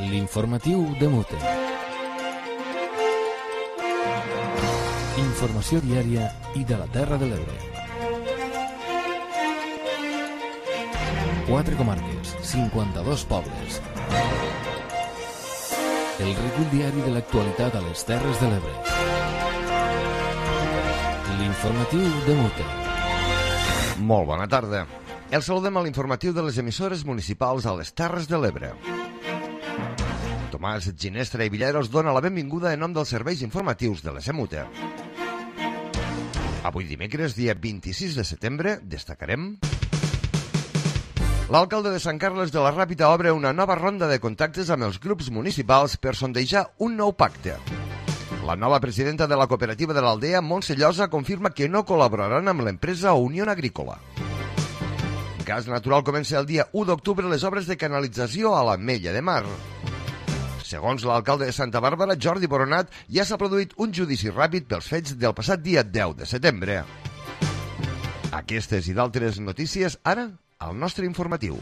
L'informatiu de Mute. Informació diària i de la Terra de l'Ebre. 4 comarques, 52 pobles. El recull diari de l'actualitat a les Terres de l'Ebre. L'informatiu de Mute. Molt bona tarda. El saludem a l'informatiu de les emissores municipals a les Terres de l'Ebre. Tomàs Ginestra i Villaros dona la benvinguda en nom dels serveis informatius de l'ESEMUTE. Avui dimecres, dia 26 de setembre, destacarem... L'alcalde de Sant Carles de la Ràpita obre una nova ronda de contactes amb els grups municipals per sondejar un nou pacte. La nova presidenta de la cooperativa de l'Aldea, Montse Llosa, confirma que no col·laboraran amb l'empresa Unió Agrícola. Gas Natural comença el dia 1 d'octubre les obres de canalització a l'Ametlla de Mar. Segons l'alcalde de Santa Bàrbara, Jordi Boronat, ja s'ha produït un judici ràpid pels fets del passat dia 10 de setembre. Aquestes i d'altres notícies, ara, al nostre informatiu.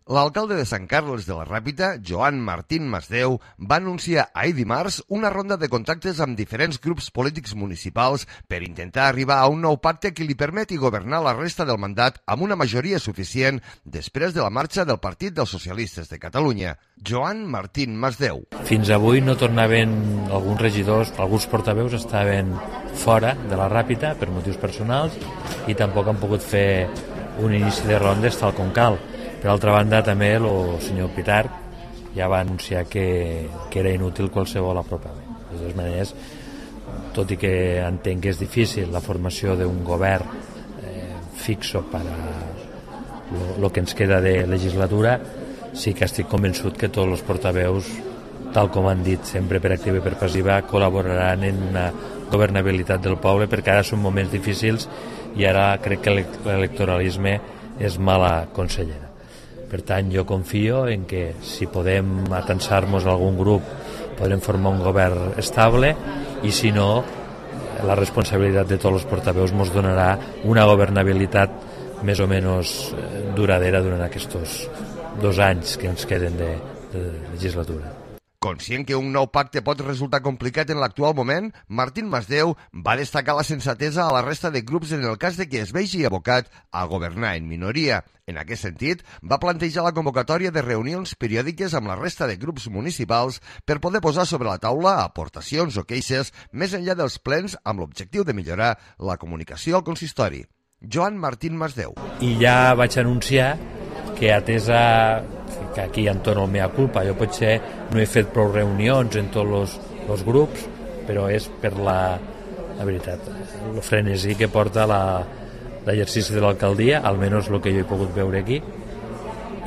L'alcalde de Sant Carles de la Ràpita, Joan Martín Masdeu, va anunciar ahir dimarts una ronda de contactes amb diferents grups polítics municipals per intentar arribar a un nou pacte que li permeti governar la resta del mandat amb una majoria suficient després de la marxa del Partit dels Socialistes de Catalunya. Joan Martín Masdeu. Fins avui no tornaven alguns regidors, alguns portaveus estaven fora de la Ràpita per motius personals i tampoc han pogut fer un inici de rondes tal com cal. Per altra banda, també el senyor Pitarch ja va anunciar que era inútil qualsevol apropament. De totes maneres, tot i que entenc que és difícil la formació d'un govern fixo per a el que ens queda de legislatura, sí que estic convençut que tots els portaveus, tal com han dit sempre per activa i per passiva, col·laboraran en una governabilitat del poble, perquè ara són moments difícils i ara crec que l'electoralisme és mala consellera. Per tant, jo confio en que si podem atansar-nos a algun grup podrem formar un govern estable i si no, la responsabilitat de tots els portaveus ens donarà una governabilitat més o menys duradera durant aquests 2 anys que ens queden de legislatura. Conscient que un nou pacte pot resultar complicat en l'actual moment, Martín Masdeu va destacar la sensatesa a la resta de grups en el cas de que es vegi abocat a governar en minoria. En aquest sentit, va plantejar la convocatòria de reunions periòdiques amb la resta de grups municipals per poder posar sobre la taula aportacions o queixes més enllà dels plens amb l'objectiu de millorar la comunicació al consistori. Joan Martín Masdeu. I ja vaig anunciar que atesa que aquí entorn el mea culpa, jo potser no he fet prou reunions en tots els grups, però és per la veritat, el frenesí que porta l'exercici de l'alcaldia, almenys el que jo he pogut veure aquí,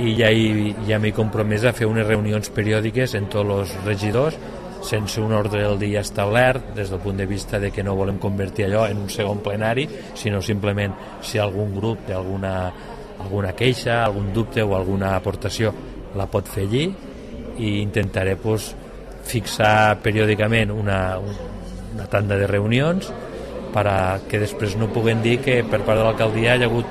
i ja m'he compromès a fer unes reunions periòdiques en tots els regidors, sense un ordre del dia establert, des del punt de vista de que no volem convertir allò en un segon plenari, sinó simplement si algun grup té alguna queixa, algun dubte o alguna aportació la pot fer allí i intentaré fixar periòdicament una tanda de reunions perquè després no puguen dir que per part de l'alcaldia hi ha hagut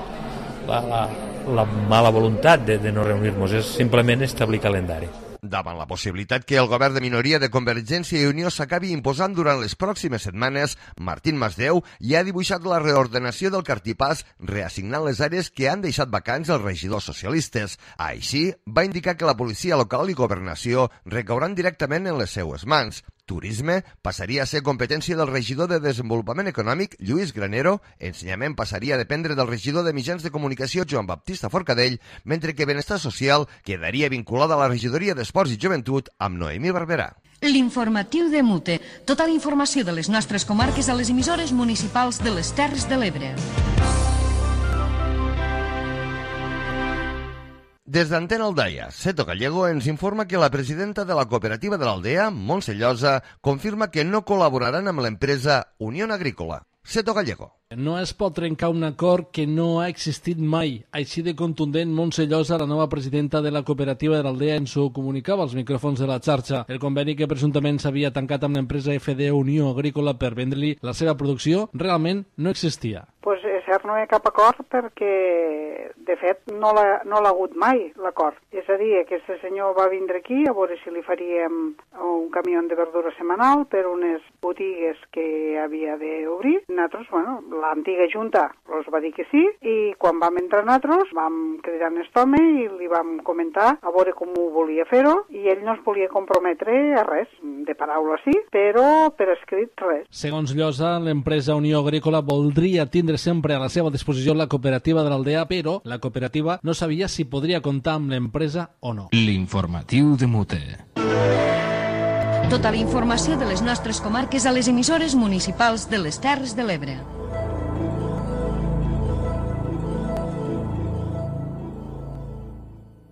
la mala voluntat de no reunir-nos, és simplement establir calendari. Davant la possibilitat que el govern de minoria de Convergència i Unió s'acabi imposant durant les pròximes setmanes, Martín Masdeu ja ha dibuixat la reordenació del cartipàs reassignant les àrees que han deixat vacants els regidors socialistes. Així, va indicar que la policia local i governació recauran directament en les seues mans. Turisme passaria a ser competència del regidor de Desenvolupament Econòmic, Lluís Granero, ensenyament passaria a dependre del regidor de Mitjans de Comunicació, Joan Baptista Forcadell, mentre que Benestar Social quedaria vinculada a la regidoria d'Esports i Joventut amb Noemí Barberà. L'informatiu de Mute. Tota la informació de les nostres comarques a les emissores municipals de les Terres de l'Ebre. Des d'Antena Aldaia, Seto Gallego ens informa que la presidenta de la cooperativa de l'Aldea, Montse Llosa, confirma que no col·laboraran amb l'empresa Unió Agrícola. Seto Gallego. No es pot trencar un acord que no ha existit mai. Així de contundent, Montse Llosa, la nova presidenta de la cooperativa de l'Aldea, ens ho comunicava als micròfons de la xarxa. El conveni que presumptament s'havia tancat amb l'empresa FD Unió Agrícola per vendre-li la seva producció realment no existia. Pues cert no hi ha cap acord perquè, de fet, no l'ha hagut mai, l'acord. És a dir, aquest senyor va vindre aquí a veure si li faríem un camió de verdura setmanal per unes botigues que havia d'obrir. Nosaltres, l'antiga junta els va dir que sí, i quan vam entrar nosaltres vam cridar en aquest home i li vam comentar a veure com ho volia fer-ho, i ell no es volia comprometre a res, de paraula sí, però per escrit res. Segons Llosa, l'empresa Unió Agrícola voldria tindre sempre a la seva disposició la cooperativa de l'Aldea, però la cooperativa no sabia si podria comptar amb l'empresa o no. L'informatiu de Mute. Tota la informació de les nostres comarques a les emissores municipals de les Terres de l'Ebre.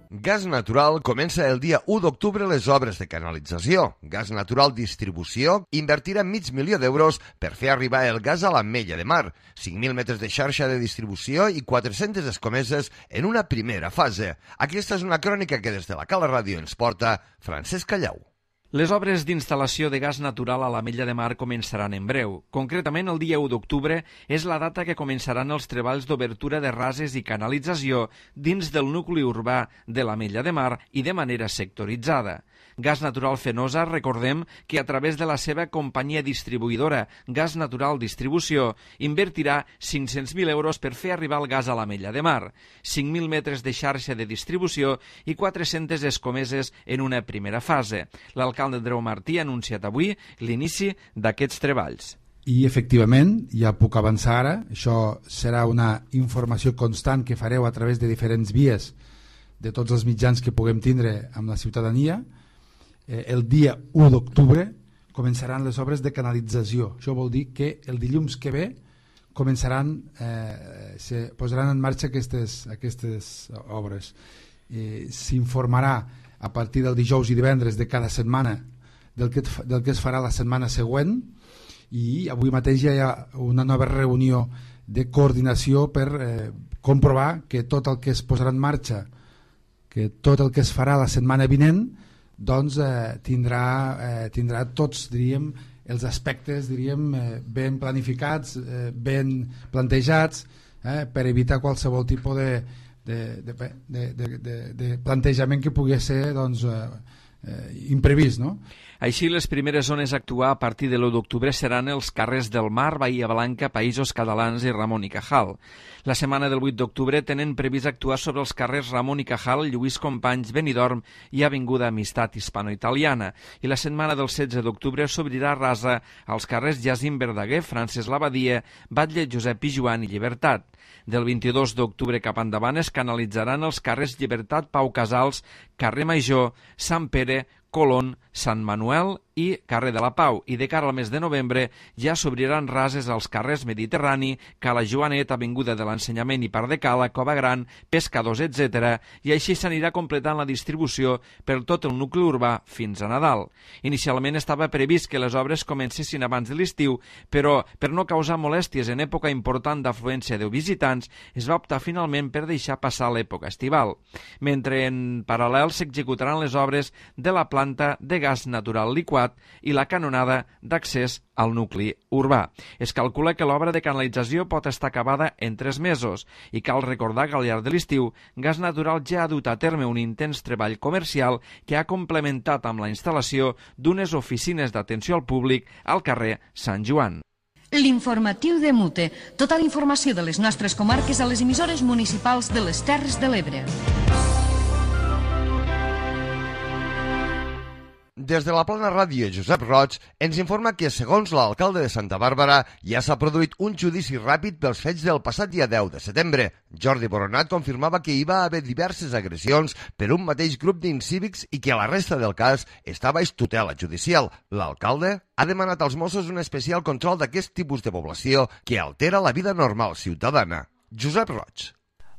Gas Natural comença el dia 1 d'octubre les obres de canalització. Gas Natural Distribució invertirà $500.000 d'euros per fer arribar el gas a l'Ametlla de Mar, 5.000 metres de xarxa de distribució i 400 escomeses en una primera fase. Aquesta és una crònica que des de la Cala Ràdio ens porta Francesc Callau. Les obres d'instal·lació de gas natural a l'Ametlla de Mar començaran en breu. Concretament, el dia 1 d'octubre és la data que començaran els treballs d'obertura de rases i canalització dins del nucli urbà de l'Ametlla de Mar i de manera sectoritzada. Gas Natural Fenosa, recordem que a través de la seva companyia distribuïdora Gas Natural Distribució invertirà 500.000 euros per fer arribar el gas a l'Ametlla de Mar, 5.000 metres de xarxa de distribució i 400 escomeses en una primera fase. L'alcalde Andreu Martí ha anunciat avui l'inici d'aquests treballs. I, efectivament, ja puc avançar ara, això serà una informació constant que fareu a través de diferents vies de tots els mitjans que puguem tindre amb la ciutadania. El dia 1 d'octubre començaran les obres de canalització. Això vol dir que el dilluns que ve se posaran en marxa aquestes obres. S'informarà a partir del dijous i divendres de cada setmana del que es farà la setmana següent, i avui mateix ja hi ha una nova reunió de coordinació per comprovar que tot el que es posarà en marxa, que tot el que es farà la setmana vinent, doncs tindrà tots, diríem, els aspectes, diríem, ben planificats, ben plantejats, per evitar qualsevol tipus de plantejament que pugui ser, doncs, imprevist, no? Així, les primeres zones a actuar a partir de l'1 d'octubre seran els carrers del Mar, Bahia Blanca, Països Catalans i Ramon i Cajal. La setmana del 8 d'octubre tenen previst actuar sobre els carrers Ramon i Cajal, Lluís Companys, Benidorm i Avinguda Amistat Hispano-Italiana. I la setmana del 16 d'octubre s'obrirà rasa als carrers Jacint Verdaguer, Francesc Labadia, Batlle Josep Pijuan i Llibertat. Del 22 d'octubre cap endavant es canalitzaran els carrers Llibertat, Pau Casals, Carrer Major, Sant Pere, Colón, Sant Manuel i Carrer de la Pau, i de cara al mes de novembre ja s'obriran rases als carrers Mediterrani, Cala Joanet, Avinguda de l'Ensenyament i Parc de Cala, Cova Gran, Pescadors, etc. I així s'anirà completant la distribució per tot el nucli urbà fins a Nadal. Inicialment estava previst que les obres comencessin abans de l'estiu, però per no causar molèsties en època important d'afluència de visitants, es va optar finalment per deixar passar l'època estival. Mentre en paral·lel s'executaran les obres de la planta de gas natural liquat i la canonada d'accés al nucli urbà. Es calcula que l'obra de canalització pot estar acabada en 3 mesos i cal recordar que al llarg de l'estiu Gas Natural ja ha dut a terme un intens treball comercial que ha complementat amb la instal·lació d'unes oficines d'atenció al públic al carrer Sant Joan. L'informatiu de Mute. Tota la informació de les nostres comarques a les emissores municipals de les Terres de l'Ebre. Des de la Plana Ràdio, Josep Roig ens informa que, segons l'alcalde de Santa Bàrbara, ja s'ha produït un judici ràpid pels fets del passat dia 10 de setembre. Jordi Boronat confirmava que hi va haver diverses agressions per un mateix grup d'incívics i que la resta del cas estava baix tutela judicial. L'alcalde ha demanat als Mossos un especial control d'aquest tipus de població que altera la vida normal ciutadana. Josep Roig.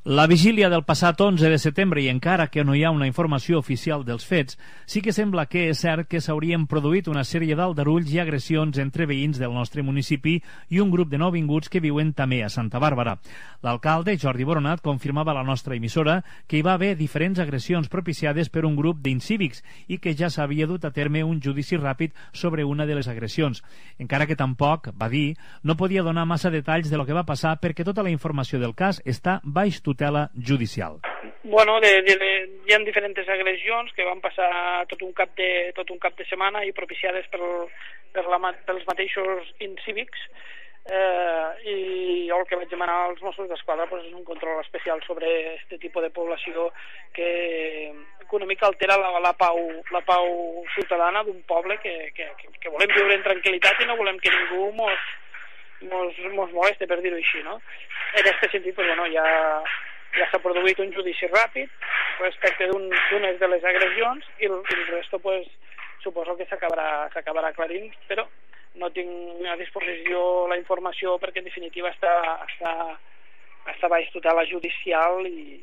La vigília del passat 11 de setembre, i encara que no hi ha una informació oficial dels fets, sí que sembla que és cert que s'haurien produït una sèrie d'aldarulls i agressions entre veïns del nostre municipi i un grup de nouvinguts que viuen també a Santa Bàrbara. L'alcalde, Jordi Boronat, confirmava a la nostra emissora que hi va haver diferents agressions propiciades per un grup d'incívics i que ja s'havia dut a terme un judici ràpid sobre una de les agressions. Encara que tampoc, va dir, no podia donar massa detalls de lo que va passar perquè tota la informació del cas està baix tutela judicial. Bueno, hi ha diferents agressions que van passar tot un cap de setmana i propiciades pels mateixos incívics, i el que vaig demanar als Mossos d'Esquadra és un control especial sobre aquest tipus de població que una mica altera la pau ciutadana d'un poble que volem viure en tranquil·litat i no volem que ningú mos moleste, per dir-ho així, no? En aquest sentit, ja s'ha produït un judici ràpid respecte d'unes de les agressions i el resto, suposo que s'acabarà aclarint, però no tinc a disposició la informació perquè en definitiva està baix tutela judicial i...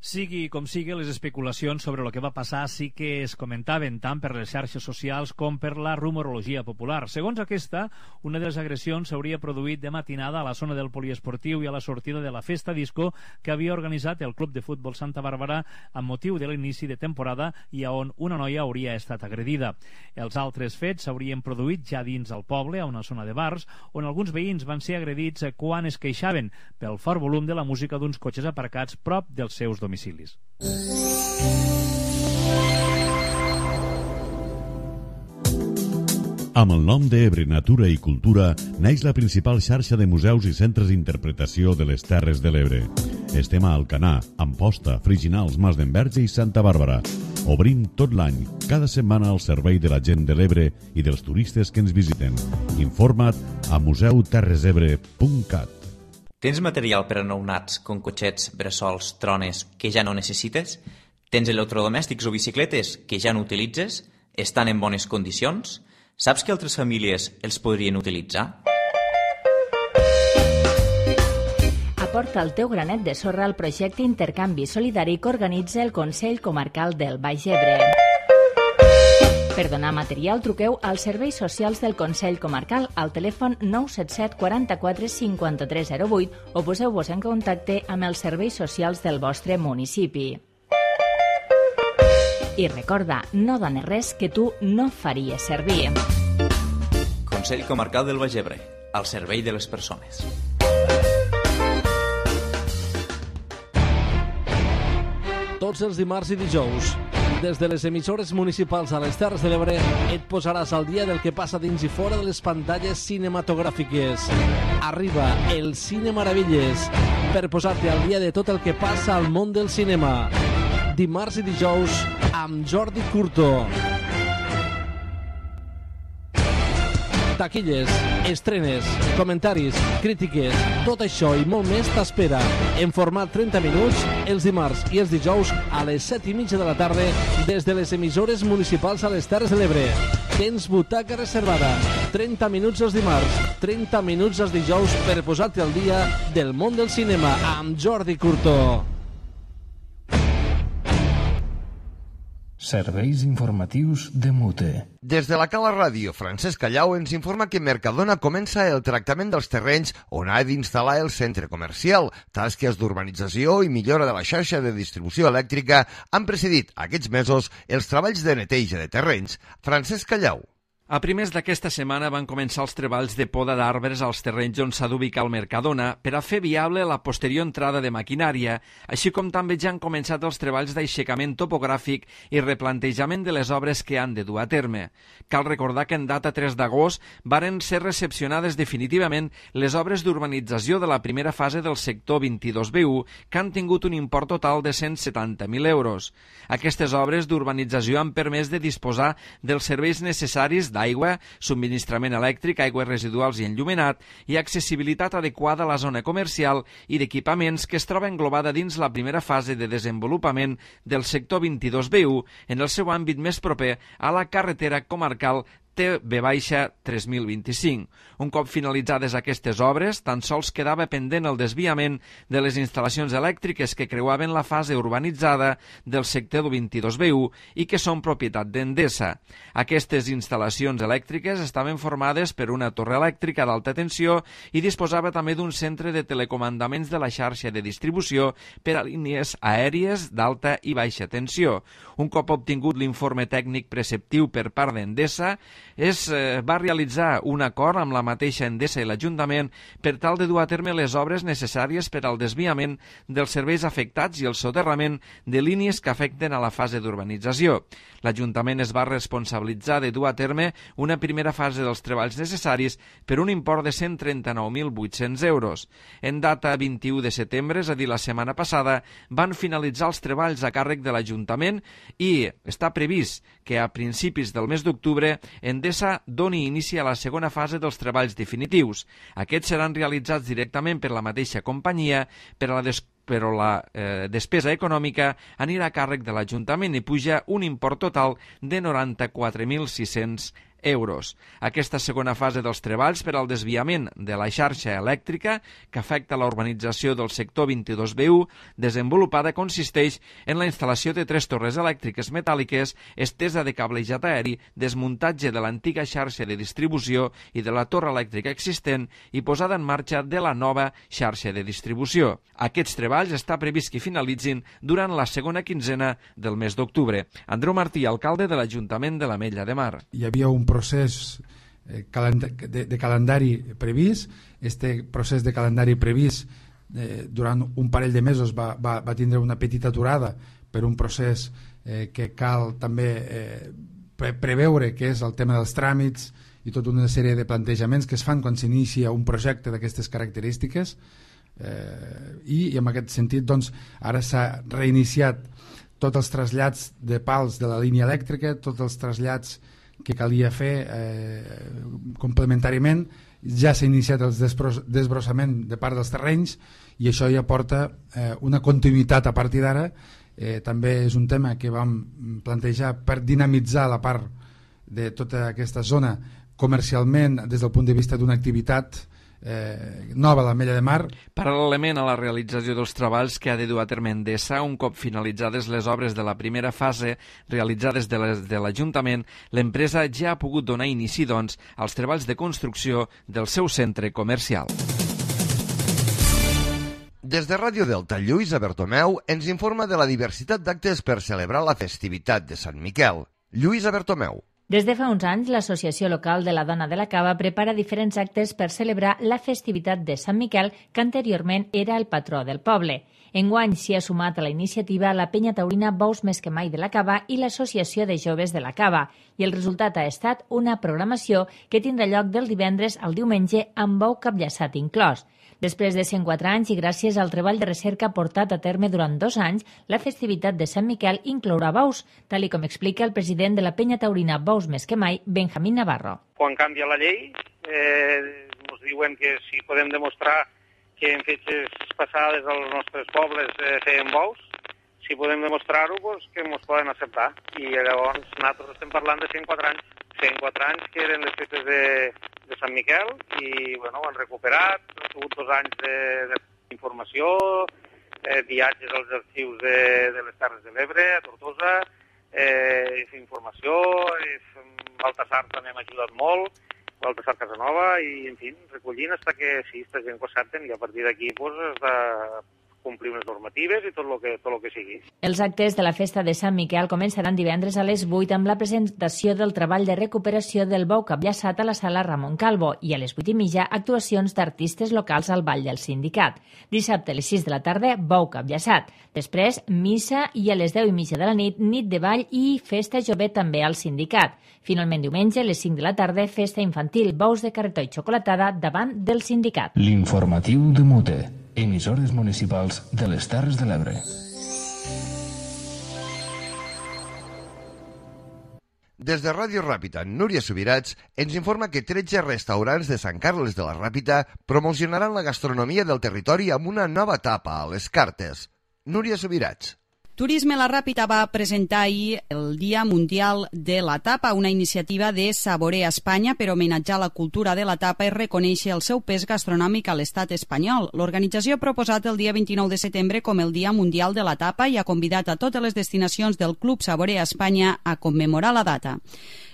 Sigui com sigui, les especulacions sobre el que va passar sí que es comentaven tant per les xarxes socials com per la rumorologia popular. Segons aquesta, una de les agressions s'hauria produït de matinada a la zona del poliesportiu i a la sortida de la festa disco que havia organitzat el Club de Futbol Santa Bàrbara amb motiu de l'inici de temporada i on una noia hauria estat agredida. Els altres fets s'haurien produït ja dins el poble, a una zona de bars, on alguns veïns van ser agredits quan es queixaven pel fort volum de la música d'uns cotxes aparcats prop dels seus domicilis. Amb el nom d'Ebre Natura i Cultura neix la principal xarxa de museus i centres d'interpretació de les Terres de l'Ebre. Estem a Alcanar, Amposta, Friginals, Mas d'Enverge i Santa Bàrbara. Obrim tot l'any, cada setmana al servei de la gent de l'Ebre i dels turistes que ens visiten. Informa't a museuterresebre.cat. Tens material per a nounats, com cotxets, bressols, trones, que ja no necessites? Tens electrodomèstics o bicicletes que ja no utilitzes? Estan en bones condicions? Saps que altres famílies els podrien utilitzar? Aporta el teu granet de sorra al projecte Intercanvi Solidari que organitza el Consell Comarcal del Baix Ebre. Per donar material, truqueu als serveis socials del Consell Comarcal al telèfon 977 44 53 08 o poseu-vos en contacte amb els serveis socials del vostre municipi. I recorda, no dones res que tu no faries servir. Consell Comarcal del Baix Ebre, al servei de les persones. Tots els dimarts i dijous, des de les emissores municipals a les Terres de l'Ebre, et posaràs al dia del que passa dins i fora de les pantalles cinematogràfiques. Arriba el Cine Maravilles per posar-te al dia de tot el que passa al món del cinema. Dimarts i dijous amb Jordi Curto. Taquilles, estrenes, comentaris, crítiques, tot això i molt més t'espera en format 30 minuts els dimarts i els dijous a les 7:30 de la tarda des de les emissores municipals a les Terres de l'Ebre. Tens butaca reservada, 30 minuts els dimarts, 30 minuts els dijous per posar-te al dia del món del cinema amb Jordi Curto. Serveis informatius de Mute. Des de la Cala Ràdio, Francesc Callau ens informa que Mercadona comença el tractament dels terrenys on ha d'instal·lar el centre comercial. Tasques d'urbanització i millora de la xarxa de distribució elèctrica han precedit aquests mesos els treballs de neteja de terrenys. Francesc Callau. A primers d'aquesta setmana van començar els treballs de poda d'arbres als terrenys on s'ha d'ubicar el Mercadona per a fer viable la posterior entrada de maquinària, així com també ja han començat els treballs d'aixecament topogràfic i replantejament de les obres que han de dur a terme. Cal recordar que en data 3 d'agost varen ser recepcionades definitivament les obres d'urbanització de la primera fase del sector 22B1, que han tingut un import total de 170.000 euros. Aquestes obres d'urbanització han permès de disposar dels serveis necessaris d'aigua, subministrament elèctric, aigües residuals i enllumenat i accessibilitat adequada a la zona comercial i d'equipaments que es troba englobada dins la primera fase de desenvolupament del sector 22B1 en el seu àmbit més proper a la carretera comarcal T-3025. Un cop finalitzades aquestes obres, tan sols quedava pendent el desviament de les instal·lacions elèctriques que creuaven la fase urbanitzada del sector 22B1 i que són propietat d'Endesa. Aquestes instal·lacions elèctriques estaven formades per una torre elèctrica d'alta tensió i disposava també d'un centre de telecomandaments de la xarxa de distribució per a línies aèries d'alta i baixa tensió. Un cop obtingut l'informe tècnic preceptiu per part d'Endesa, es va realitzar un acord amb la mateixa Endesa i l'Ajuntament per tal de dur a terme les obres necessàries per al desviament dels serveis afectats i el soterrament de línies que afecten a la fase d'urbanització. L'Ajuntament es va responsabilitzar de dur a terme una primera fase dels treballs necessaris per un import de 139.800 euros. En data 21 de setembre, és a dir, la setmana passada, van finalitzar els treballs a càrrec de l'Ajuntament i està previst que a principis del mes d'octubre Endesa doni inici a la segona fase dels treballs definitius. Aquests seran realitzats directament per la mateixa companyia, però la despesa econòmica anirà a càrrec de l'Ajuntament i puja un import total de 94.600 euros. Aquesta segona fase dels treballs per al desviament de la xarxa elèctrica que afecta la urbanització del sector 22B1 desenvolupada consisteix en la instal·lació de 3 torres elèctriques metàl·liques, estesa de cablejat aeri, desmuntatge de l'antiga xarxa de distribució i de la torre elèctrica existent i posada en marxa de la nova xarxa de distribució. Aquests treballs està previst que finalitzin durant la segona quinzena del mes d'octubre. Andreu Martí, alcalde de l'Ajuntament de l'Ametlla de Mar. Hi havia un procés de calendari previst. Este procés de calendari previst durant un parell de mesos va tindre una petita aturada per un procés que cal també preveure, que és el tema dels tràmits i tota una sèrie de plantejaments que es fan quan s'inicia un projecte d'aquestes característiques, i en aquest sentit doncs, ara s'ha reiniciat tots els trasllats de pals de la línia elèctrica, tots els trasllats que calia fer complementàriament. Ja s'ha iniciat el desbrossament de part dels terrenys i això ja porta una continuïtat a partir d'ara. També és un tema que vam plantejar per dinamitzar la part de tota aquesta zona comercialment des del punt de vista d'una activitat nova a l'Ametlla de Mar. Paral·lelament a la realització dels treballs que ha de dur a terme Endesa, un cop finalitzades les obres de la primera fase realitzades de l'Ajuntament, l'empresa ja ha pogut donar inici, doncs, als treballs de construcció del seu centre comercial. Des de Ràdio Delta, Lluïsa Bertomeu ens informa de la diversitat d'actes per celebrar la festivitat de Sant Miquel. Lluïsa Bertomeu. Des de fa uns anys, l'Associació Local de la Dona de la Cava prepara diferents actes per celebrar la festivitat de Sant Miquel, que anteriorment era el patró del poble. Enguany s'hi ha sumat a la iniciativa la Penya Taurina Bous Més que Mai de la Cava i l'Associació de Joves de la Cava, i el resultat ha estat una programació que tindrà lloc del divendres al diumenge amb bou capllaçat inclòs. Després de 104 anys i gràcies al treball de recerca portat a terme durant 2 anys, la festivitat de Sant Miquel inclourà bous, tal com explica el president de la Penya Taurina Bous Més que Mai, Benjamín Navarro. Quan canvia la llei, ens diuen que si podem demostrar que en fetges passades als nostres pobles feien bous, si podem demostrar-ho, doncs que ens poden acceptar. I llavors nosaltres estem parlant de 104 anys. 104 anys que eren les festes de Sant Miquel i bueno, ho han recuperat, han sigut 2 anys d'informació, viatges als arxius de les Terres de l'Ebre, a Tortosa, informació, Baltasar també m'ha ajudat molt, Baltasar Casanova, i en fi, recollint fins que sí, esta gent ho accepten i a partir d'aquí pues, has de complir unes normatives i tot el que sigui. Els actes de la festa de Sant Miquel començaran divendres a les 8 amb la presentació del treball de recuperació del bou capllaçat a la sala Ramon Calvo i a les 8:30 actuacions d'artistes locals al Ball del Sindicat. Dissabte a les 6 de la tarda, bou capllaçat. Després, missa i a les 10:30 de la nit, nit de ball i festa jove també al Sindicat. Finalment, diumenge, a les 5 de la tarda, festa infantil, bous de carretó i xocolatada davant del Sindicat. L'informatiu de Mute. Emissores municipals de les Terres de l'Ebre. Des de Ràdio Ràpita, Núria Subirats ens informa que 13 restaurants de Sant Carles de la Ràpita promocionaran la gastronomia del territori amb una nova etapa a les cartes. Núria Subirats. Turisme La Ràpita va presentar ahir el Dia Mundial de la Tapa, una iniciativa de Saborea Espanya per homenatjar la cultura de la tapa i reconèixer el seu pes gastronòmic a l'estat espanyol. L'organització ha proposat el dia 29 de setembre com el Dia Mundial de la Tapa i ha convidat a totes les destinacions del Club Saborea Espanya a commemorar la data.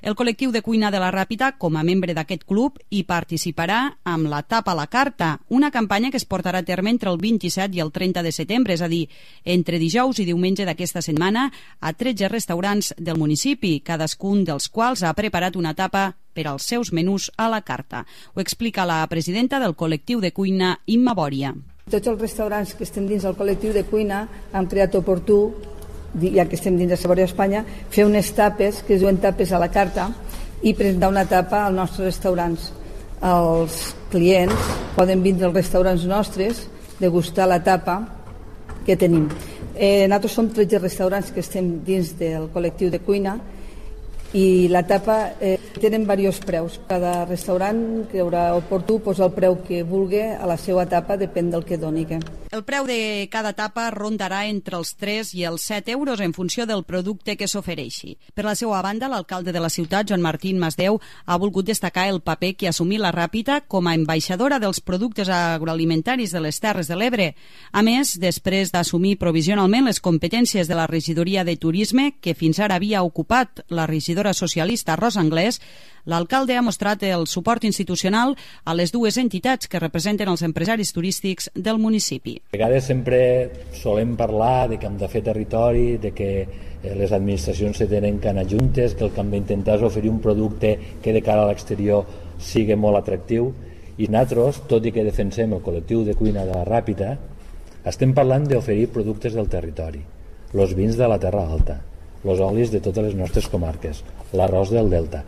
El col·lectiu de cuina de La Ràpita, com a membre d'aquest club, hi participarà amb la Tapa a la Carta, una campanya que es portarà a terme entre el 27 i el 30 de setembre, és a dir, entre dijous i diumenge d'aquesta setmana, a 13 restaurants del municipi, cadascun dels quals ha preparat una tapa per als seus menús a la carta. Ho explica la presidenta del col·lectiu de cuina, Imma Bòria. Tots els restaurants que estem dins del col·lectiu de cuina han creat oportú, ja que estem dins de Saborea Espanya, fer unes tapes, que es diuen tapes a la carta, i presentar una tapa als nostres restaurants. Els clients poden vindre als restaurants nostres, degustar la tapa que tenim. Nosaltres som 13 restaurants que estem dins del col·lectiu de cuina i la tapa tenen diversos preus. Cada restaurant creurà oportú posar el preu que vulgui a la seva tapa, depèn del que doni. El preu de cada tapa rondarà entre els 3 i els 7 euros en funció del producte que s'ofereixi. Per la seva banda, l'alcalde de la ciutat, Joan Martín Masdeu, ha volgut destacar el paper que ha assumit La Ràpita com a ambaixadora dels productes agroalimentaris de les Terres de l'Ebre. A més, després d'assumir provisionalment les competències de la regidoria de turisme, que fins ara havia ocupat la regidora socialista Rosa Anglès, l'alcalde ha mostrat el suport institucional a les dues entitats que representen els empresaris turístics del municipi. A vegades sempre solem parlar de que hem de fer territori, de que les administracions se tenen que anar juntes, que el que hem d'intentar és oferir un producte que de cara a l'exterior sigui molt atractiu, i nosaltres, tot i que defensem el col·lectiu de cuina de La Ràpita, estem parlant d'oferir productes del territori, els vins de la Terra Alta, els olis de totes les nostres comarques, l'arròs del Delta.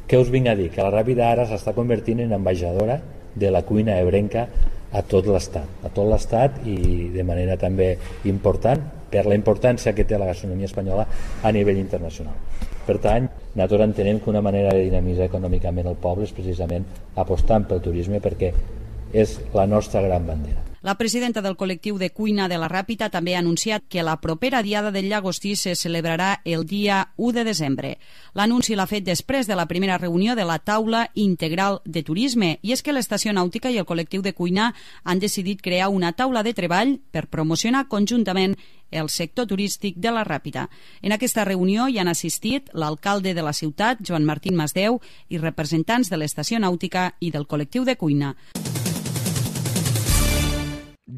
Què us vinc a dir? Que La Ràpita ara s'està convertint en ambaixadora de la cuina ebrenca a tot l'estat i de manera també important per la importància que té la gastronomia espanyola a nivell internacional. Per tant, nosaltres entenem que una manera de dinamitzar econòmicament el poble és precisament apostant pel turisme perquè és la nostra gran bandera. La presidenta del col·lectiu de cuina de La Ràpita també ha anunciat que la propera Diada del Llagostí se celebrarà el dia 1 de desembre. L'anunci l'ha fet després de la primera reunió de la taula integral de turisme, i és que l'estació nàutica i el col·lectiu de cuina han decidit crear una taula de treball per promocionar conjuntament el sector turístic de La Ràpita. En aquesta reunió hi han assistit l'alcalde de la ciutat, Joan Martín Masdeu, i representants de l'estació nàutica i del col·lectiu de cuina.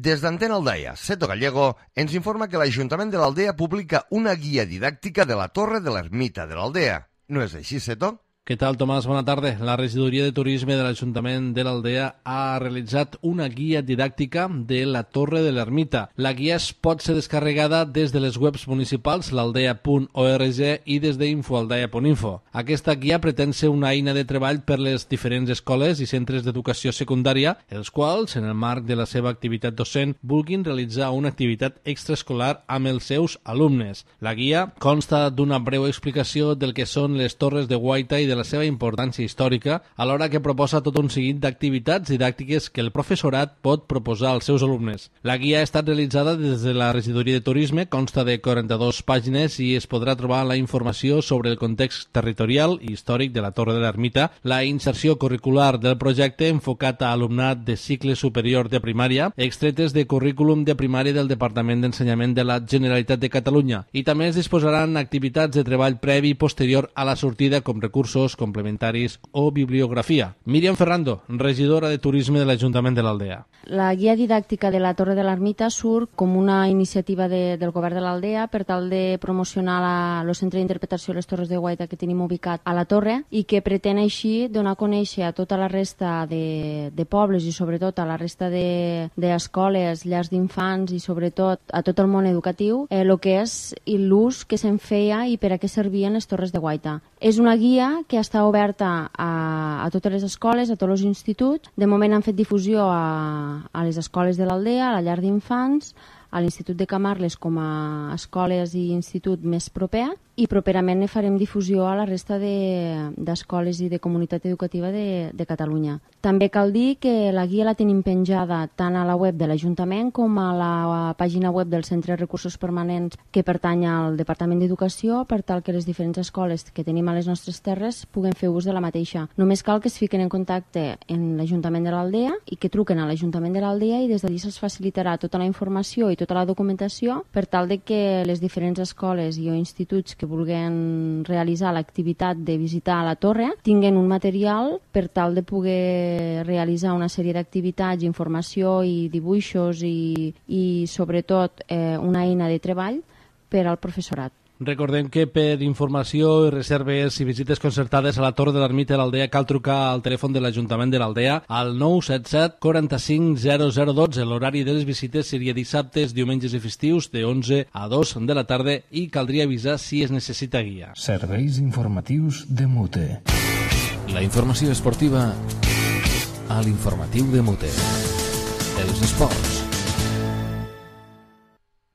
Des d'Antena Aldaia, Seto Gallego ens informa que l'Ajuntament de l'Aldea publica una guia didàctica de la Torre de l'Ermita de l'Aldea. No és així, Seto? Què tal, Tomàs? Bona tarda. La regidoria de turisme de l'Ajuntament de l'Aldea ha realitzat una guia didàctica de la Torre de l'Ermita. La guia es pot ser descarregada des de les webs municipals, l'aldea.org i des d'infoaldea.info. Aquesta guia pretén ser una eina de treball per les diferents escoles i centres d'educació secundària, els quals, en el marc de la seva activitat docent, vulguin realitzar una activitat extraescolar amb els seus alumnes. La guia consta d'una breu explicació del que són les torres de guaita i de la seva importància històrica, alhora que proposa tot un seguit d'activitats didàctiques que el professorat pot proposar als seus alumnes. La guia ha estat realitzada des de la regidoria de turisme, consta de 42 pàgines i es podrà trobar la informació sobre el context territorial i històric de la Torre de l'Ermita, la inserció curricular del projecte enfocat a alumnat de cicle superior de primària, extretes de currículum de primària del Departament d'Ensenyament de la Generalitat de Catalunya, i també es disposaran activitats de treball previ i posterior a la sortida com recursos complementaris o bibliografia. Míriam Ferrando, regidora de Turisme de l'Ajuntament de l'Aldea. La guia didàctica de la Torre de l'Ermita surt com una iniciativa del govern de l'Aldea per tal de promocionar el centre d'interpretació de les Torres de Guaita que tenim ubicat a la Torre i que pretén així donar a conèixer a tota la resta de pobles i sobretot a la resta d'escoles, llars d'infants i sobretot a tot el món educatiu el que és l'ús que se'n feia i per a què servien les Torres de Guaita. És una guia que està oberta a totes les escoles, a tots els instituts. De moment han fet difusió a les escoles de l'Aldea, a la llar d'infants, a l'Institut de Camarles com a escoles i institut més proper, i properament ne farem difusió a la resta d'escoles i de comunitat educativa de Catalunya. També cal dir que la guia la tenim penjada tant a la web de l'Ajuntament com a la pàgina web del Centre de Recursos Permanents que pertany al Departament d'Educació, per tal que les diferents escoles que tenim a les nostres terres puguen fer ús de la mateixa. Només cal que es fiquen en contacte en l'Ajuntament de l'Aldea i que truquen a l'Ajuntament de l'Aldea, i des d'allí se'ls facilitarà tota la informació i tota la documentació per tal de que les diferents escoles i o instituts que vulguin realitzar l'activitat de visitar la torre tinguen un material per tal de poder realitzar una sèrie d'activitats, informació i dibuixos i sobretot una eina de treball per al professorat. Recordem que per informació i reserves i visites concertades a la Torre de l'Ermita de l'Aldea cal trucar al telèfon de l'Ajuntament de l'Aldea al 977 45 0012. L'horari de les visites seria dissabtes, diumenges i festius de 11 a 2 de la tarda i caldria avisar si es necessita guia. Serveis informatius de Mute. La informació esportiva a l'informatiu de Mute. Els esports.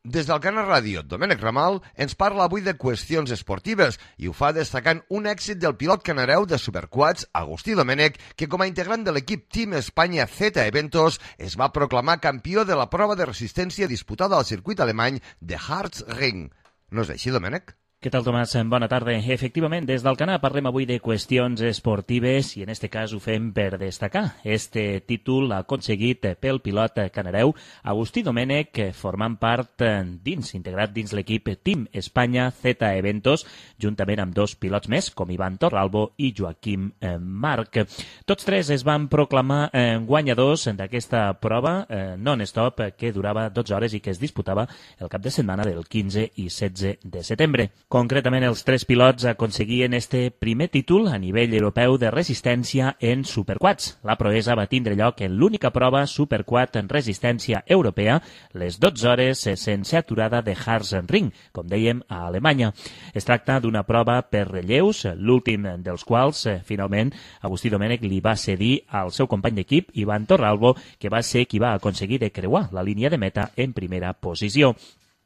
Des del Canal Ràdio, Domènec Ramal ens parla avui de qüestions esportives i ho fa destacant un èxit del pilot canareu de Superquads, Agustí Domènec, que com a integrant de l'equip Team Espanya Z Eventos es va proclamar campió de la prova de resistència disputada al circuit alemany de Harz-Ring. No és així, Domènec? Què tal, Tomàs? Bona tarda. Efectivament, des del Canà parlem avui de qüestions esportives i en este cas ho fem per destacar. Este títol aconseguit pel pilot canareu Agustí Domènec, formant part integrat dins l'equip Team Espanya Z Eventos, juntament amb dos pilots més, com Ivan Torralbo i Joaquim Marc. Tots tres es van proclamar guanyadors d'aquesta prova non-stop que durava 12 hores i que es disputava el cap de setmana del 15 i 16 de setembre. Concretament, els tres pilots aconseguien este primer títol a nivell europeu de resistència en Superquads. La proesa va tindre lloc en l'única prova Superquad en resistència europea, les 12 hores sense aturada de Harz-Ring, com dèiem, a Alemanya. Es tracta d'una prova per relleus, l'últim dels quals, finalment, Agustí Domènec li va cedir al seu company d'equip, Ivan Torralbo, que va ser qui va aconseguir de creuar la línia de meta en primera posició.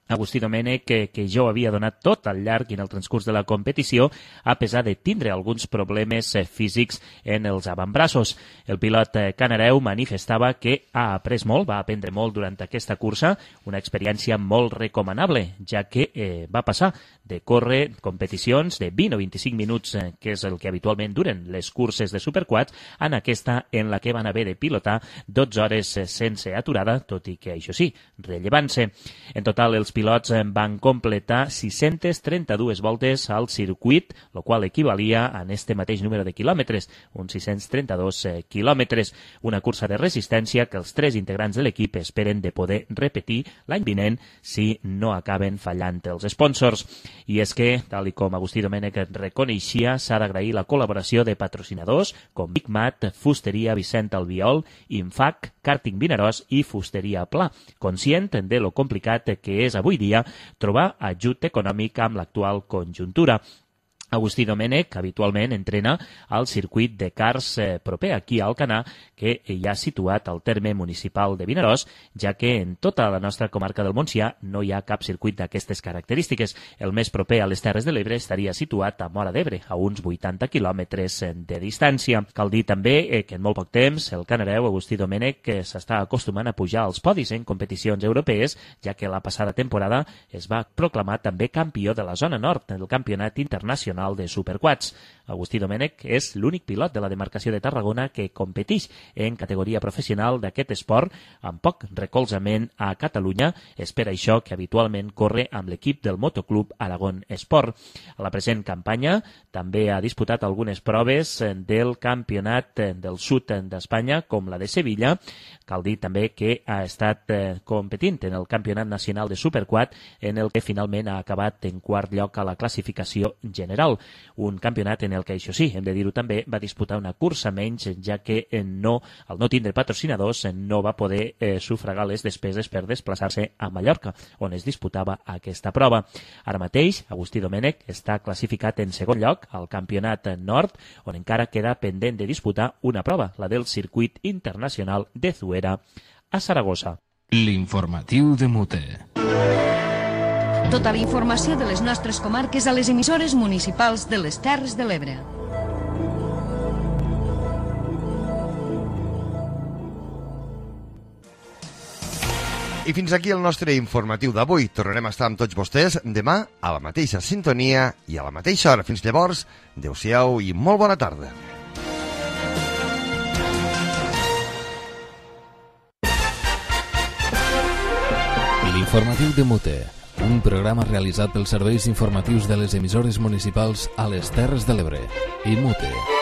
Agustí Domènec, que jo havia donat tot al llarg i en el transcurs de la competició, a pesar de tindre alguns problemes físics en els avantbraços. El pilot canareu manifestava que ha après molt, va aprendre molt durant aquesta cursa, una experiència molt recomanable, ja que va passar de córrer competicions de 20 o 25 minuts, que és el que habitualment duren les curses de Superquads, en aquesta en la que van haver de pilotar 12 hores sense aturada, tot i que, això sí, rellevant-se. En total, els pilots van completar 632 voltes al circuit, el qual equivalia a este mateix número de quilòmetres, uns 632 quilòmetres. Una cursa de resistència que els tres integrants de l'equip esperen de poder repetir l'any vinent si no acaben fallant els sponsors. I és que, tal com Agustí Domènec reconeixia, s'ha d'agrair la col·laboració de patrocinadors com Big Mat, Fusteria Vicent Albiol, Infac, Karting Vinaròs i Fusteria Pla, conscient de lo complicat que és avui dia trobar ajut econòmic amb l'actual conjuntura. Agustí Domènec habitualment entrena al circuit de Cars proper aquí a Alcanar, que hi ha situat al terme municipal de Vinaròs, ja que en tota la nostra comarca del Montsià no hi ha cap circuit d'aquestes característiques. El més proper a les Terres de l'Ebre estaria situat a Móra d'Ebre, a uns 80 quilòmetres de distància. Cal dir també que en molt poc temps el canareu Agustí Domènec s'està acostumant a pujar als podis en competicions europees, ja que la passada temporada es va proclamar també campió de la zona nord del Campionat Internacional de Superquads. Agustí Domènec és l'únic pilot de la demarcació de Tarragona que competeix en categoria professional d'aquest esport amb poc recolzament a Catalunya. És per això que habitualment corre amb l'equip del Motoclub Aragón Esport. A la present campanya també ha disputat algunes proves del Campionat del Sud d'Espanya, com la de Sevilla. Cal dir també que ha estat competint en el Campionat Nacional de Superquad, en el que finalment ha acabat en quart lloc a la classificació general. Un campionat en el que, això sí, hem de dir-ho també, va disputar una cursa menys, ja que al no tindre patrocinadors no va poder sufragar les despeses per desplaçar-se a Mallorca, on es disputava aquesta prova. Ara mateix, Agustí Domènec està classificat en segon lloc al Campionat Nord, on encara queda pendent de disputar una prova, la del Circuit Internacional de Zuera a Saragossa. L'informatiu de Mute. Tota la informació de les nostres comarques a les emissores municipals de les Terres de l'Ebre. I fins aquí el nostre informatiu d'avui. Tornarem a estar amb tots vostès demà a la mateixa sintonia i a la mateixa hora. Fins llavors, adeu-siau i molt bona tarda. L'informatiu de Mute, un programa realitzat pels serveis informatius de les emissores municipals a les Terres de l'Ebre i Mute.